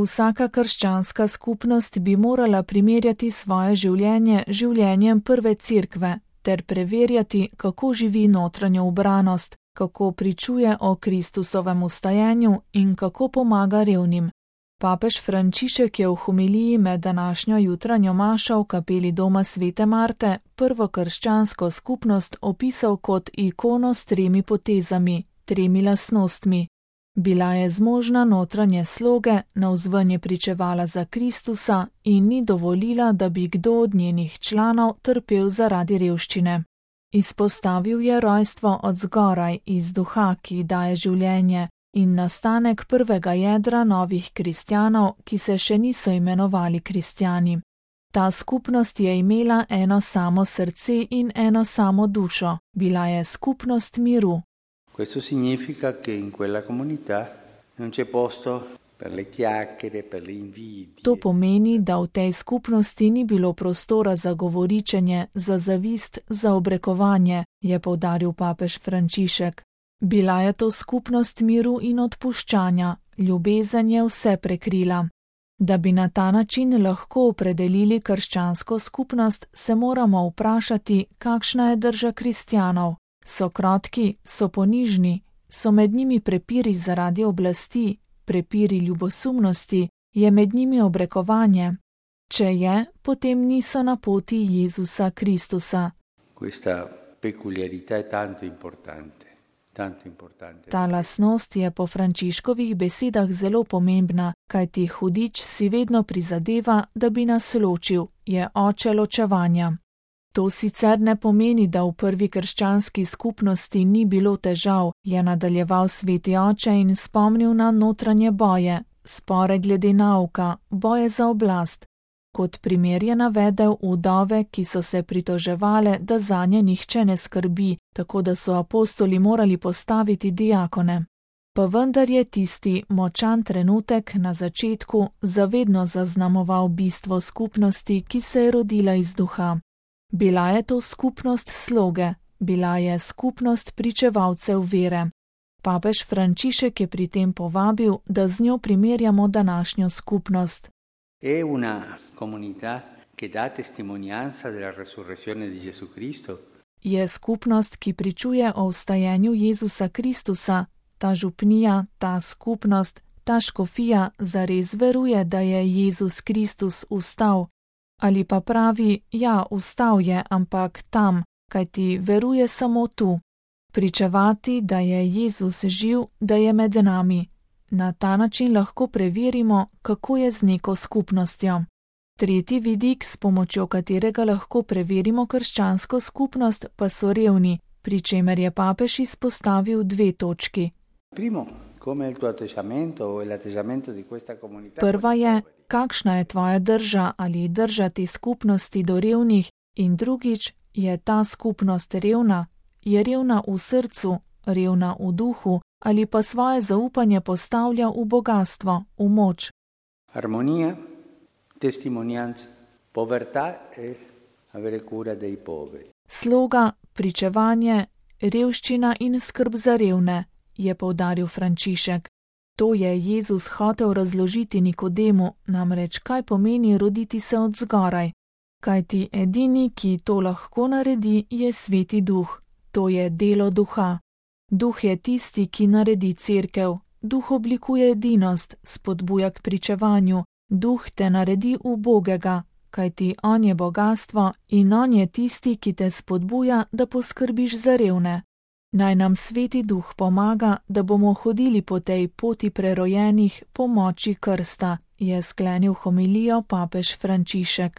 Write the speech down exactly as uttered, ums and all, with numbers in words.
Vsaka krščanska skupnost bi morala primerjati svoje življenje z življenjem prve cerkve ter preverjati, kako živi notranjo ubranost, kako pričuje o Kristusovem vstajenju in kako pomaga revnim. Papež Frančišek je v homiliji med današnjo jutranjo mašo v kapeli doma svete Marte prvo krščansko skupnost opisal kot ikono s tremi potezami, tremi lastnostmi. Bila je zmožna notranje sloge, navzven je pričevala za Kristusa in ni dovolila, da bi kdo od njenih članov trpel zaradi revščine. Izpostavil je rojstvo od zgoraj iz duha, ki daje življenje, in nastanek prvega jedra novih kristjanov, ki se še niso imenovali kristjani. Ta skupnost je imela eno samo srce in eno samo dušo, bila je skupnost miru. Questo significa che in quella comunità non c'è posto per le chiacchiere, per le invidie. To pomeni, da v tej skupnosti ni bilo prostora za govoričenje, za zavist, za obrekovanje, je poudaril papež Frančišek. Bila je to skupnost miru in odpuščanja, ljubezen je vse prekrila. Da bi na ta način lahko opredelili krščansko skupnost, se moramo vprašati, kakšna je drža kristjanov. So krotki, so ponižni, so med njimi prepiri zaradi oblasti, prepiri ljubosumnosti, je med njimi obrekovanje. Če je, potem niso na poti Jezusa Kristusa. Questa peculiarità è tanto importante, tanto importante. Ta lastnost je po Frančiškovih besedah zelo pomembna, kajti hudič si vedno prizadeva, da bi nas ločil, je oče ločevanja. To sicer ne pomeni, da v prvi krščanski skupnosti ni bilo težav, je nadaljeval sveti oče in spomnil na notranje boje, spore glede nauka, boje za oblast. Kot primer je navedel vdove, ki so se pritoževale, da zanje nihče ne skrbi, tako da so apostoli morali postaviti diakone. Pa vendar je tisti močan trenutek na začetku zavedno zaznamoval bistvo skupnosti, ki se je rodila iz duha. Bila je to skupnost sloge, bila je skupnost pričevalcev vere. Papež Frančišek je pri tem povabil, da z njo primerjamo današnjo skupnost. È una comunità che dà testimonianza della resurrezione di Gesù Cristo. Je skupnost, ki pričuje o vstajenju Jezusa Kristusa. Ta župnija, ta skupnost, ta škofija zares veruje, da je Jezus Kristus vstal. Ali pa pravi, ja, vstal je, ampak tam, kajti veruje samo tu. Pričevati, da je Jezus živ, da je med nami. Na ta način lahko preverimo, kako je z neko skupnostjo. Tretji vidik, s pomočjo katerega lahko preverimo krščansko skupnost, pa so revni, pri čemer je papež izpostavil dve točki. Primo, come il tuo atteggiamento o l'atteggiamento di questa comunità. Prva je, kakšna je tvoja drža ali drža te skupnosti do revnih, in drugič, je ta skupnost revna, je revna v srcu, revna v duhu, ali pa svoje zaupanje postavlja v bogatstvo, v moč. Armonija, testimonianza, povertà e avere cura dei poveri. Sloga, pričevanje, revščina in skrb za revne, je poudaril Frančišek. To je Jezus hotel razložiti Nikodemu, namreč kaj pomeni roditi se od zgoraj. Kajti edini, ki to lahko naredi, je sveti duh. To je delo duha. Duh je tisti, ki naredi cerkev. Duh oblikuje edinost, spodbuja k pričevanju. Duh te naredi ubogega, kajti on je bogastvo in on je tisti, ki te spodbuja, da poskrbiš za revne. Naj nam sveti duh pomaga, da bomo hodili po tej poti prerojenih po moči krsta, je sklenil homilijo papež Frančišek.